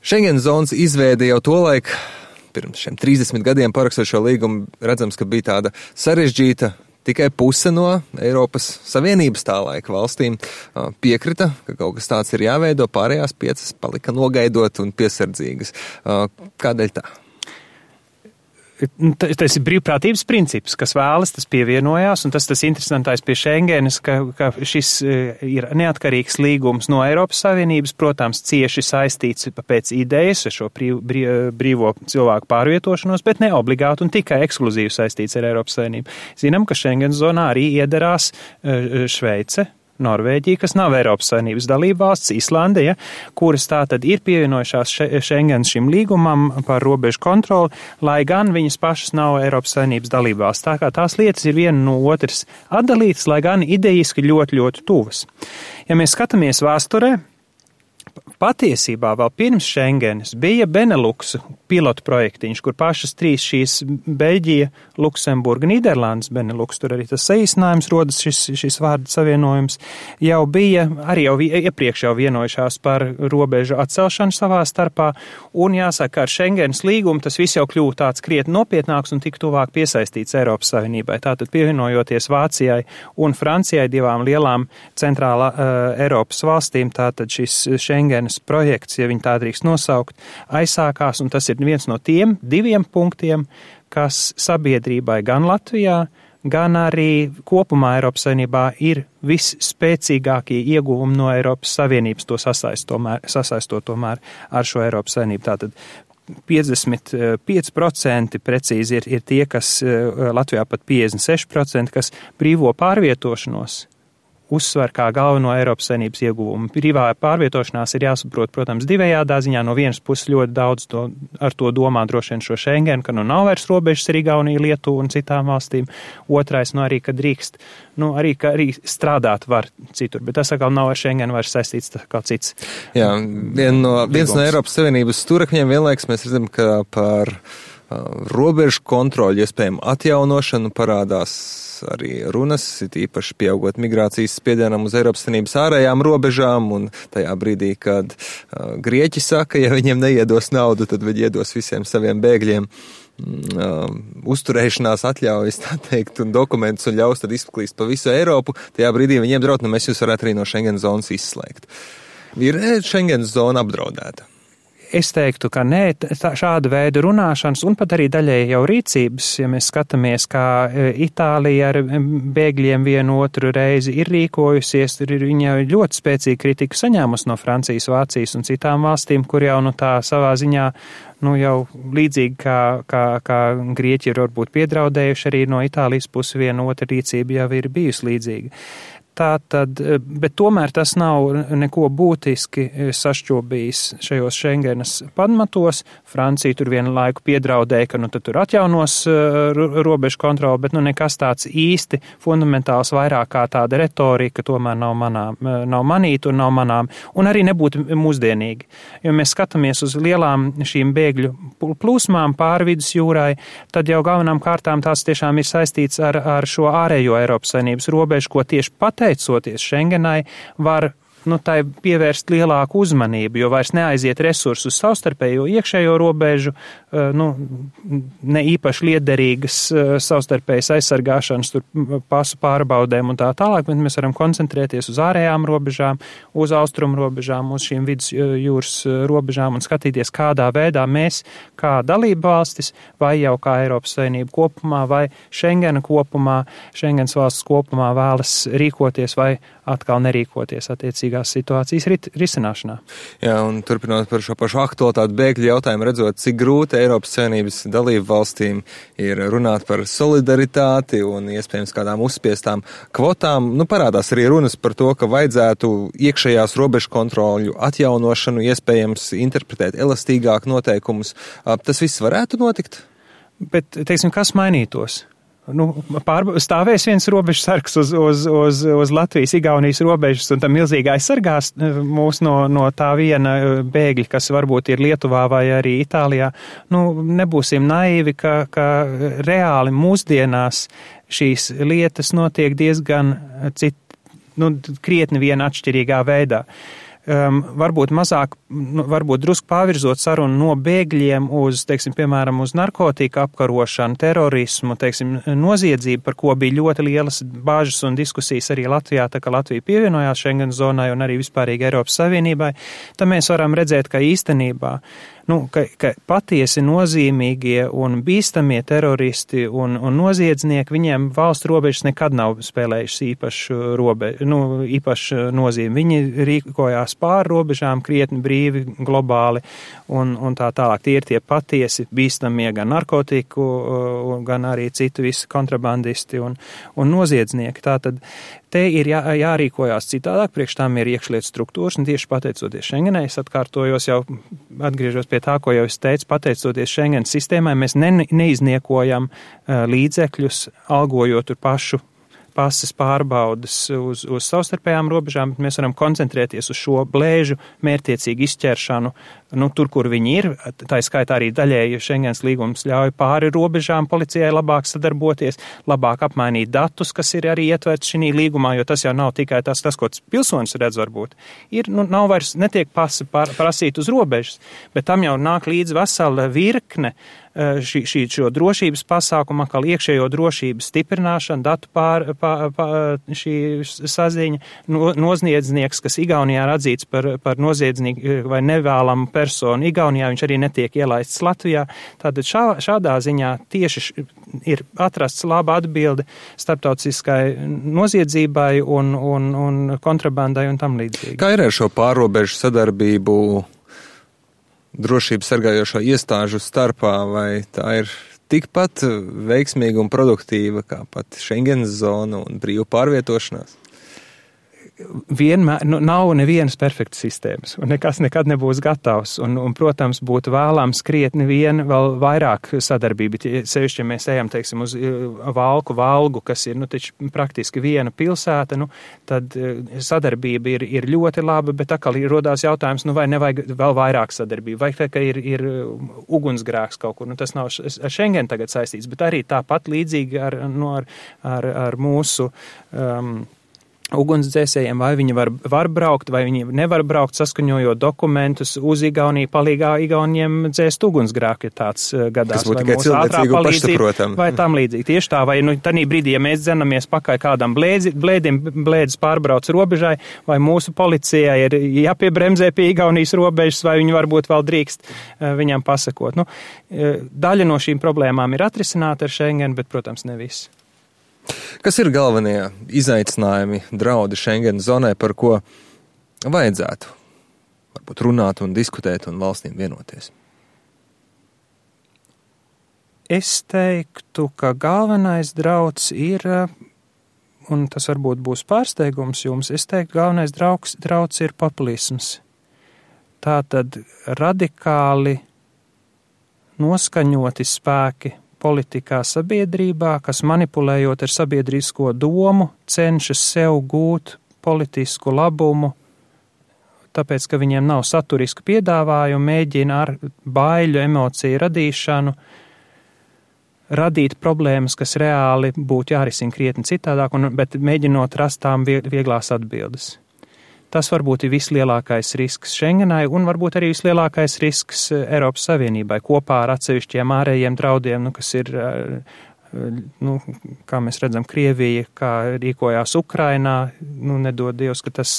Schengen zonas izveide jau tolaik, pirms šiem 30 gadiem parakstot šo līgumu, redzams, ka bija tāda sarežģīta. Tikai puse no Eiropas Savienības tā laika valstīm piekrita, ka kaut kas tāds ir jāveido, pārējās 5 palika nogaidot un piesardzīgas. Kādēļ tā? Tas ir brīvprātības princips, kas vēlas, tas pievienojās, un tas interesantais pie Schengenas, ka šis ir neatkarīgs līgums no Eiropas Savienības, protams, cieši saistīts pēc idejas ar šo brīvo cilvēku pārvietošanos, bet ne obligāti un tikai ekskluzīvi saistīts ar Eiropas Savienību. Zinām, ka Schengen zonā arī iedarās Šveice, Norvēģija, kas nav Eiropas Savienības dalībvalsts, Islande, kuras tātad ir pievienojušās Schengen šim līgumam par robežu kontroli, lai gan viņas pašas nav Eiropas Savienības dalībvalsts. Tā kā tās lietas ir viena no otras atdalītas, lai gan idejiski ļoti, ļoti tuvas. Ja mēs skatāmies vēsturē, patiesībā vēl pirms Schengenas bija Benelux pilotu projektiņš, kur pašas 3 šīs Beļģija, Luksemburga, Nīderlandes Benelux, tur arī tas saīsinājums rodas šis vārdu savienojums, jau bija, arī jau iepriekš jau vienojušās par robežu atcelšanu savā starpā, un jāsaka, ar Schengenas līgumu tas viss jau kļūst tāds krietni nopietnāks un tik tuvāk piesaistīts Eiropas Savienībai. Tātad pievienojoties Vācijai un Francijai, 2 lielām centrālā Eiropas valstīm, tātad šis Schengenas projekts, ja viņi tā drīkst nosaukt, aizsākās, un tas ir viens no tiem 2 punktiem, kas sabiedrībai gan Latvijā, gan arī kopumā Eiropas Savienībā ir visspēcīgākie ieguvumi no Eiropas Savienības, to sasaistot tomēr ar šo Eiropas Savienību. Tātad 55% precīzi ir tie, kas Latvijā pat 56%, kas brīvo pārvietošanos uzsver kā galveno Eiropas Savienības ieguvumu. Brīvā pārvietošanās ir jāsaprot, protams, divējādā ziņā. No vienas puses ļoti daudz ar to domā droši vien šo Schengen, ka nav vairs robežas ar Igauniju, Lietuvu un citām valstīm. Otrais, arī, ka drīkst, arī strādāt var citur, bet tas atkal nav ar Schengen vairs saistīts kā cits. Jā, viens no Eiropas Savienības stūrakņiem vienlaiks mēs redzam, ka par robežu kontroļu iespējamu atjaunošanu parādās arī runas, it īpaši pieaugot migrācijas spiedienam uz Eiropas Savienības ārējām robežām, un tajā brīdī, kad Grieķi saka, ja viņiem neiedos naudu, tad viņi iedos visiem saviem bēgļiem uzturēšanās atļaujas, tā teikt, un dokumentus un ļaus tad izplīst pa visu Eiropu, tajā brīdī viņiem draud, mēs jūs varētu arī no Schengen zonas izslēgt. Ir Schengen zona apdraudēta? Es teiktu, ka nē, šāda veida runāšanas un pat arī daļēji jau rīcības, ja mēs skatāmies, kā Itālija ar bēgļiem vienu otru reizi ir rīkojusies, tur ir viņa ļoti spēcīga kritika saņēmusi no Francijas, Vācijas un citām valstīm, kur jau tā savā ziņā jau līdzīgi kā Grieķi ir varbūt piedraudējuši, arī no Itālijas puses viena otra rīcība jau ir bijusi līdzīga. Tātad, bet tomēr tas nav neko būtiski sašķobījis šajos Schengenas pamatos. Francija tur vienu laiku piedraudēja, ka tad tur atjaunos robežu kontroli, bet nekas tāds īsti fundamentāls vairāk kā tāda retorika tomēr nav manīta un nav manām, un arī nebūtu mūsdienīgi. Jo mēs skatāmies uz lielām šīm bēgļu plūsmām pāri vidus jūrai, tad jau galvenām kārtām tās tiešām ir saistīts ar šo ārējo Eiropas Savienības robežu, ko tieši pateicoties Schengenai var tai pievērst lielāku uzmanību, jo vairs neaiziet resursus savstarpējo iekšējo robežu, ne īpaši liederīgas savstarpējas aizsargāšanas, tur pasu pārbaudēm un tā tālāk, bet mēs varam koncentrēties uz ārējām robežām, uz austrumu robežām, uz šīm vidus jūras robežām un skatīties, kādā veidā mēs, kā dalība valstis, vai jau kā Eiropas Savienība kopumā, vai Schengena kopumā, Schengens valsts kopumā vēlas rīkoties vai atkal nerīkoties attiecīgās situācijas risināšanā. Jā, un turpinot par šo pašu aktualitāti bēgļu jautājumu, redzot, cik grūti Eiropas Savienības dalību valstīm ir runāt par solidaritāti un iespējams kādām uzspiestām kvotām, parādās arī runas par to, ka vajadzētu iekšējās robežu kontroļu atjaunošanu, iespējams interpretēt elastīgāk noteikumus. Tas viss varētu notikt? Bet, teiksim, kas mainītos? Stāvēs viens robežu sargs uz Latvijas, Igaunijas robežas un tam milzīgi aizsargās mūs no tā viena bēgļa, kas varbūt ir Lietuvā vai arī Itālijā. Nebūsim naivi, ka reāli mūsdienās šīs lietas notiek diezgan krietni viena atšķirīgā veidā. varbūt mazāk, varbūt drusku pavirzot sarunu no bēgļiem uz, teiksim, piemēram, uz narkotika apkarošanu, terorismu, teiksim, noziedzību, par ko bija ļoti lielas bāžas un diskusijas arī Latvijā, tā kā Latvija pievienojās Schengen zonai un arī vispārīgi Eiropas Savienībai, tad mēs varam redzēt, ka īstenībā ka patiesi nozīmīgie un bīstamie teroristi un noziedznieki, viņiem valsts robežas nekad nav spēlējušas īpašu nozīmi. Viņi rīkojās pāri robežām krietni brīvi, globāli un tā tālāk. Tie ir tie patiesi bīstamie gan narkotiku, gan arī citu visi kontrabandisti un noziedznieki. Tātad te ir jārīkojās citādāk, priekš tām ir iekšlietu struktūras, un tieši pateicoties Schengenai, es atkārtojos jau, atgriežos pie tā, ko jau es teicu, pateicoties Schengen sistēmai, mēs neizniekojam līdzekļus, algojot tur pašu pases pārbaudas uz savstarpējām robežām, bet mēs varam koncentrēties uz šo blēžu mērķtiecīgu izķeršanu, tur, kur viņi ir. Tā skaitā arī daļēji Schengens līgums ļauj pāri robežām policijai labāk sadarboties, labāk apmainīt datus, kas ir arī ietverts šī līgumā, jo tas jau nav tikai tas ko pilsonis redz varbūt. Nav vairs, netiek pasi prasīt uz robežas, bet tam jau nāk līdz vesela virkne šo drošības pasākumu, kā iekšējo drošības stiprināšana, datu šī saziņa, noziedznieks, kas Igaunijā ir atzīts par noziedznieku vai nevēlamu personu Igaunijā, viņš arī netiek ielaists Latvijā. Tātad šādā ziņā tieši ir atrasts laba atbilde starptautiskai noziedzībai un kontrabandai un tam līdzīgi. Kā ir ar šo pārrobežu sadarbību drošības sargājošo iestāžu starpā, vai tā ir tikpat veiksmīga un produktīva kā pat Schengenas zona un brīva pārvietošanās? Vienmēr, nav nevienas perfektas sistēmas, un nekas nekad nebūs gatavs, un protams, būtu vēlams krietni vien vēl vairāk sadarbība. Sevišķi, ja mēs ejam, teiksim, uz Valgu, kas ir, taču praktiski viena pilsēta, tad sadarbība ir ļoti laba, bet atkal rodās jautājums, vai nevajag vēl vairāk sadarbību, vai tā, ka ir ugunsgrēks kaut kur, tas nav ar Schengen tagad saistīts, bet arī tāpat līdzīgi ar mūsu ugunsdzēsējiem, vai viņi var braukt, vai viņi nevar braukt, saskaņojot dokumentus uz Igauniju, palīgā Igauniem dzēst ugunsgrēku, ja tāds gadās. Tas būtu tikai cilvēcīgu pašsaprotam. Vai tam līdzīgi. Tieši tā, vai tanī brīdī, ja mēs dzenamies pakaļ kādam blēdis pārbrauc robežai, vai mūsu policijai ir jāpiebremzē pie Igaunijas robežas, vai viņi varbūt vēl drīkst viņam pasakot. Daļa no šīm problēmām ir atrisināta ar Schengen, bet, protams, ne viss. Kas ir galvenie izaicinājumi, draudi Schengen zonai, par ko vajadzētu varbūt runāt un diskutēt un valstīm vienoties? Es teiktu, ka galvenais drauds ir, un tas varbūt būs pārsteigums jums, es teiktu, galvenais drauds ir populisms. Tātad radikāli noskaņoti spēki politikā sabiedrībā, kas manipulējot ar sabiedrisko domu, cenšas sev gūt politisku labumu, tāpēc, ka viņiem nav saturisku piedāvājumu, mēģina ar baiļu emociju radīšanu radīt problēmas, kas reāli būtu jārisina krietni citādāk, bet mēģinot rast tām vieglās atbildes. Tas varbūt ir vislielākais risks Schengenai un varbūt arī vislielākais risks Eiropas Savienībai kopā ar atsevišķiem ārējiem draudiem, kas ir, kā mēs redzam, Krievija, kā rīkojās Ukrainā, nedod Dievs, ka tas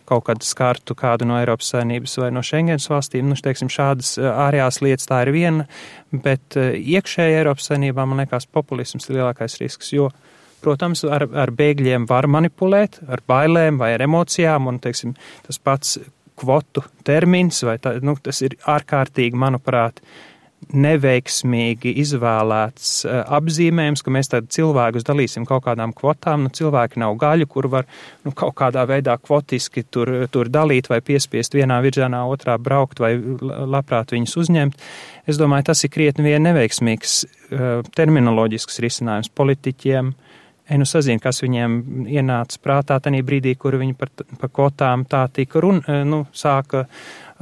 kaut kad skartu kādu no Eiropas Savienības vai no Schengenas valstīm. Teiksim, šādas ārējās lietas tā ir viena, bet iekšēji Eiropas Savienībā, man liekas, populisms ir lielākais risks, jo protams, ar bēgļiem var manipulēt, ar bailēm vai ar emocijām, un, teiksim, tas pats kvotu termins, tas ir ārkārtīgi, manuprāt, neveiksmīgi izvēlēts apzīmējums, ka mēs tad cilvēkus dalīsim kaut kādām kvotām, cilvēki nav gaļu, kur var kaut kādā veidā kvotiski tur dalīt vai piespiest vienā virzienā, otrā braukt vai labprāt viņus uzņemt. Es domāju, tas ir krietni vien neveiksmīgs terminoloģisks risinājums politiķiem. Sazinu, kas viņiem ienāca prātā tanī brīdī, kur viņi par kvotām tā tika sāka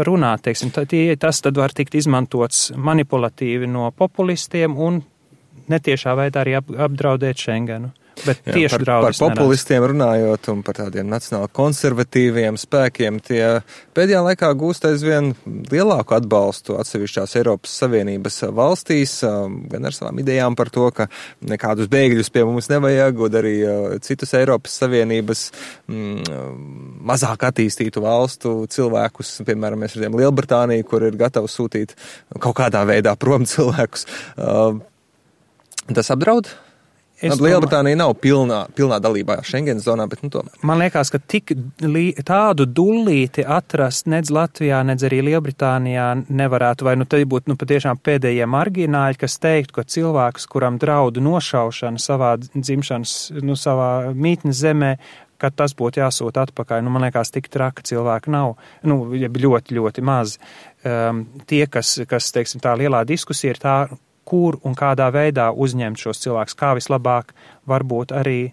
runāt. Teiksim, tas tad var tikt izmantots manipulatīvi no populistiem un netiešā veidā arī apdraudēt Schengenu. Bet tieši draudus par populistiem runājot un par tādiem nacionāli konservatīviem spēkiem, tie pēdējā laikā gūst aizvien lielāku atbalstu atsevišķās Eiropas Savienības valstīs, gan ar savām idejām par to, ka nekādus bēgļus pie mums nevajag, un arī citus Eiropas Savienības mazāk attīstītu valstu cilvēkus, piemēram, mēs redzējām Lielbritāniju, kur ir gatava sūtīt kaut kādā veidā prom cilvēkus. Tas apdraud? Lielbritānija nav pilnā dalībā Schengen zonā, bet tomēr. Man liekas, ka tādu dullīti atrast nedz Latvijā, nedz arī Lielbritānijā nevarētu, vai te būtu patiešām pēdējie margināļi, kas teiktu, ka cilvēks, kuram draudu nošaušana savā dzimšanas, savā mītnes zemē, ka tas būtu jāsūta atpakaļ. Man liekas, tik traka cilvēki nav, ļoti, ļoti maz. Tie, kas, teiksim, tā lielā diskusija ir tā, kur un kādā veidā uzņemt šos cilvēkus, kā vislabāk varbūt arī,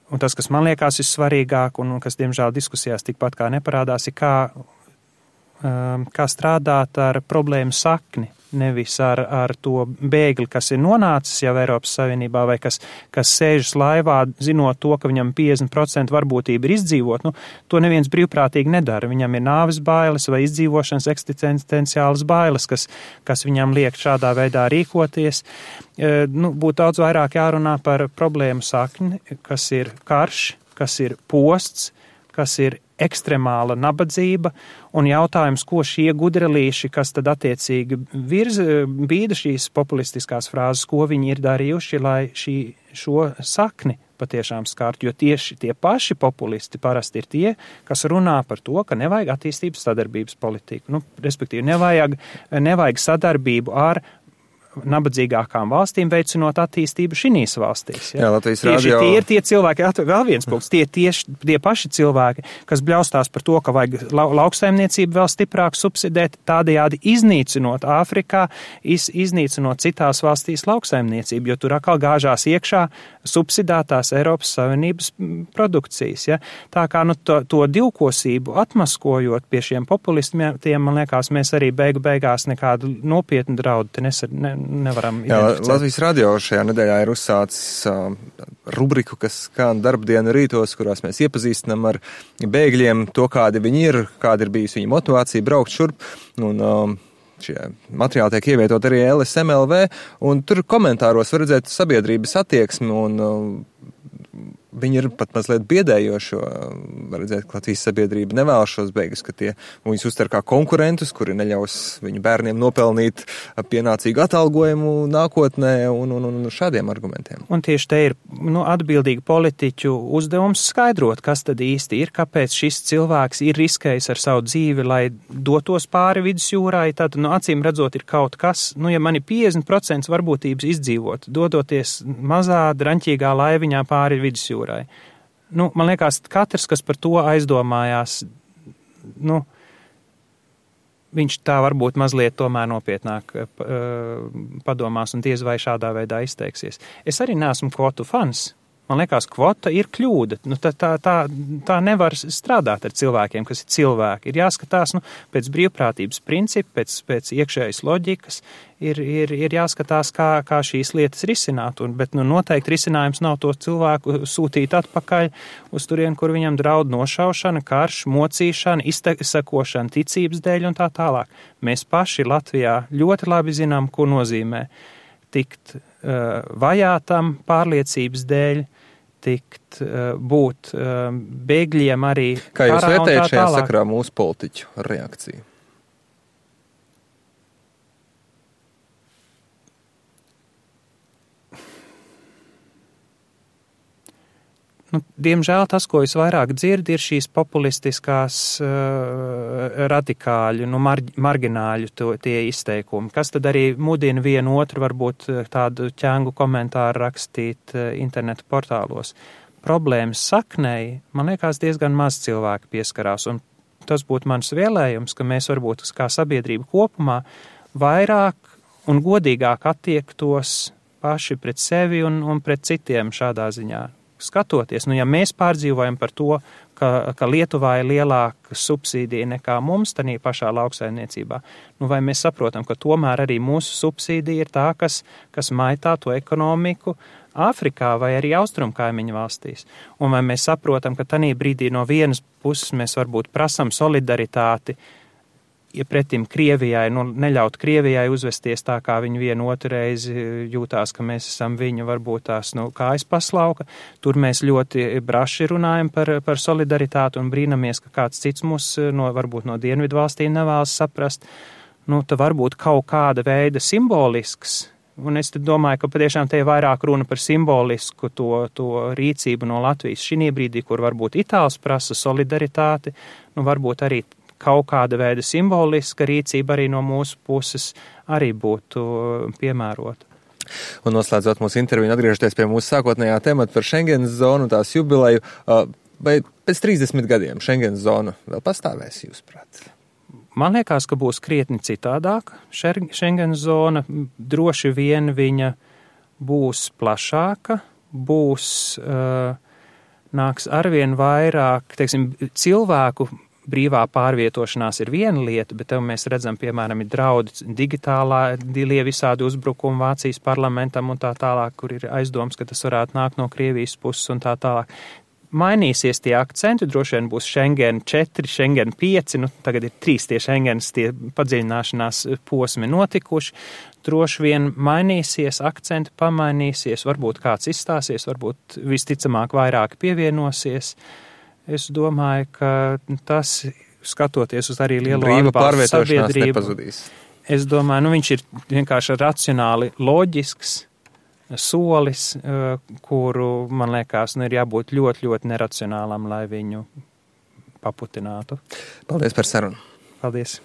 un tas, kas man liekas vissvarīgāk un kas, diemžēl, diskusijās tikpat kā neparādās, ir kā strādāt ar problēmu sakni, nevis ar to bēgli, kas ir nonācis jau Eiropas Savienībā vai kas sēžas laivā, zinot to, ka viņam 50% varbūtība ir izdzīvot. To neviens brīvprātīgi nedara. Viņam ir nāves bailes vai izdzīvošanas eksistenciālas bailes, kas viņam liek šādā veidā rīkoties. Būtu daudz vairāk jārunā par problēmu sakni, kas ir karš, kas ir posts, kas ir ekstremāla nabadzība, un jautājums, ko šie gudralīši, kas tad attiecīgi bīda šīs populistiskās frāzes, ko viņi ir darījuši, lai šo sakni patiešām skārt, jo tieši tie paši populisti parasti ir tie, kas runā par to, ka nevajag attīstības sadarbības politiku. Respektīvi, nevajag sadarbību ar nabadzīgākām valstīm veicinot attīstību šīs valstīs. Ja? Jā, Latvijas radio. Tie ir tie cilvēki, vēl viens punkts, tie paši cilvēki, kas bļaustās par to, ka vajag lauksaimniecību vēl stiprāk subsidēt, tādējādi iznīcinot Āfrikā, iznīcinot citās valstīs lauksaimniecību, jo tur atkal gāžās iekšā subsidētās Eiropas Savienības produkcijas. Ja? Tā kā to divkosību atmaskojot pie šiem populistiem, man liekas, mēs arī beigās nekādu nopietnu draudu nevaram identificēt. Latvijas radio šajā nedēļā ir uzsācis rubriku, kas skan darbdienu rītos, kurās mēs iepazīstinām ar bēgļiem to, kādi viņi ir, kāda ir bijusi viņa motivācija braukt šurp. Un šie materiāli tiek ievietot arī LSMLV, un tur komentāros var redzēt sabiedrības attieksmi, un viņi ir pat mazliet biedējoši, var redzēt, ka Latvijas sabiedrība nevēlas šos bēgļus, ka viņus uztver kā konkurentus, kuri neļaus viņu bērniem nopelnīt pienācīgu atalgojumu nākotnē un šādiem argumentiem. Un tieši te ir atbildīgi politiķu uzdevums skaidrot, kas tad īsti ir, kāpēc šis cilvēks ir riskējis ar savu dzīvi, lai dotos pāri vidusjūrai. Tad, acīm redzot, ir kaut kas, ja man ir 50% varbūtības izdzīvot, dodoties mazā, draņķīgā laiviņā pāri vidusjūrai. Man liekas, katrs, kas par to aizdomājās, viņš tā varbūt mazliet tomēr nopietnāk padomās un diez vai šādā veidā izteiksies. Es arī neesmu kvotu fans. Man liekas, kvota ir kļūda. Tā nevar strādāt ar cilvēkiem, kas ir cilvēki. Ir jāskatās pēc brīvprātības principa, pēc iekšējas loģikas, ir jāskatās, kā šīs lietas risināt. Bet noteikti risinājums nav to cilvēku sūtīt atpakaļ uz turien, kur viņam draud nošaušana, karš, mocīšana, izsekošana ticības dēļ un tā tālāk. Mēs paši Latvijā ļoti labi zinām, ko nozīmē tikt vajātam pārliecības dēļ, būt bēgļiem arī. Kā jūs vērtējat šajā sakarā mūsu politiķu reakciju? Diemžēl tas, ko es vairāk dzirdu, ir šīs populistiskās radikāļu, margināļu tie izteikumi, kas tad arī mudina vienu otru varbūt tādu ķēngu komentāru rakstīt internetu portālos. Problēmas saknei, man liekas, diezgan maz cilvēki pieskarās, un tas būtu mans vēlējums, ka mēs varbūt kā sabiedrība kopumā vairāk un godīgāk attiektos paši pret sevi un pret citiem šādā ziņā. Skatoties, ja mēs pārdzīvojam par to, ka Lietuvā ir lielāka subsīdija nekā mums tanī pašā lauksaimniecībā. Nu, vai mēs saprotam, ka tomēr arī mūsu subsīdija ir tā, kas maitā to ekonomiku Āfrikā vai arī austrumkaimiņu valstīs? Un vai mēs saprotam, ka tanī brīdī no vienas puses mēs varbūt prasam solidaritāti, ja pretim Krievijai, neļaut Krievijai uzvesties tā, kā viņi vienu otru reizi jūtās, ka mēs esam viņu varbūt tās kājas paslauka. Tur mēs ļoti braši runājam par solidaritāti un brīnamies, ka kāds cits mūs varbūt no dienvidu valstīm nevēlas saprast. Tā varbūt kaut kāda veida simbolisks. Un es domāju, ka patiešām te ir vairāk runa par simbolisku to rīcību no Latvijas šī brīdī, kur varbūt Itāls prasa solidaritāti, varbūt arī kaut kāda veida simboliska rīcība arī no mūsu puses arī būtu piemērota. Un noslēdzot mūsu interviju, atgriežoties pie mūsu sākotnējā temata par Schengenas zonu, tās jubileju, vai pēc 30 gadiem Schengenas zona vēl pastāvēs, jūsuprāt? Man liekas, ka būs krietni citādāk. Schengenas zona droši vien viņa būs plašāka, nāks arvien vairāk, cilvēku brīvā pārvietošanās ir viena lieta, bet tev mēs redzam, piemēram, ir draudi digitālie visādi uzbrukumi Vācijas parlamentam un tā tālāk, kur ir aizdoms, ka tas varētu nākt no Krievijas puses un tā tālāk. Mainīsies tie akcenti, droši vien būs Schengen 4, Schengen 5, tagad ir 3 tie Schengens, tie padziļināšanās posmi notikuši. Droši vien mainīsies, akcenti pamainīsies, varbūt kāds izstāsies, varbūt visticamāk vairāk pievienosies. Es domāju, ka tas, skatoties uz arī lielo atbalstu sabiedrību, nepazudīs. Es domāju, viņš ir vienkārši racionāli loģisks solis, kuru, man liekas, ir jābūt ļoti, ļoti neracionālam, lai viņu paputinātu. Paldies par sarunu. Paldies.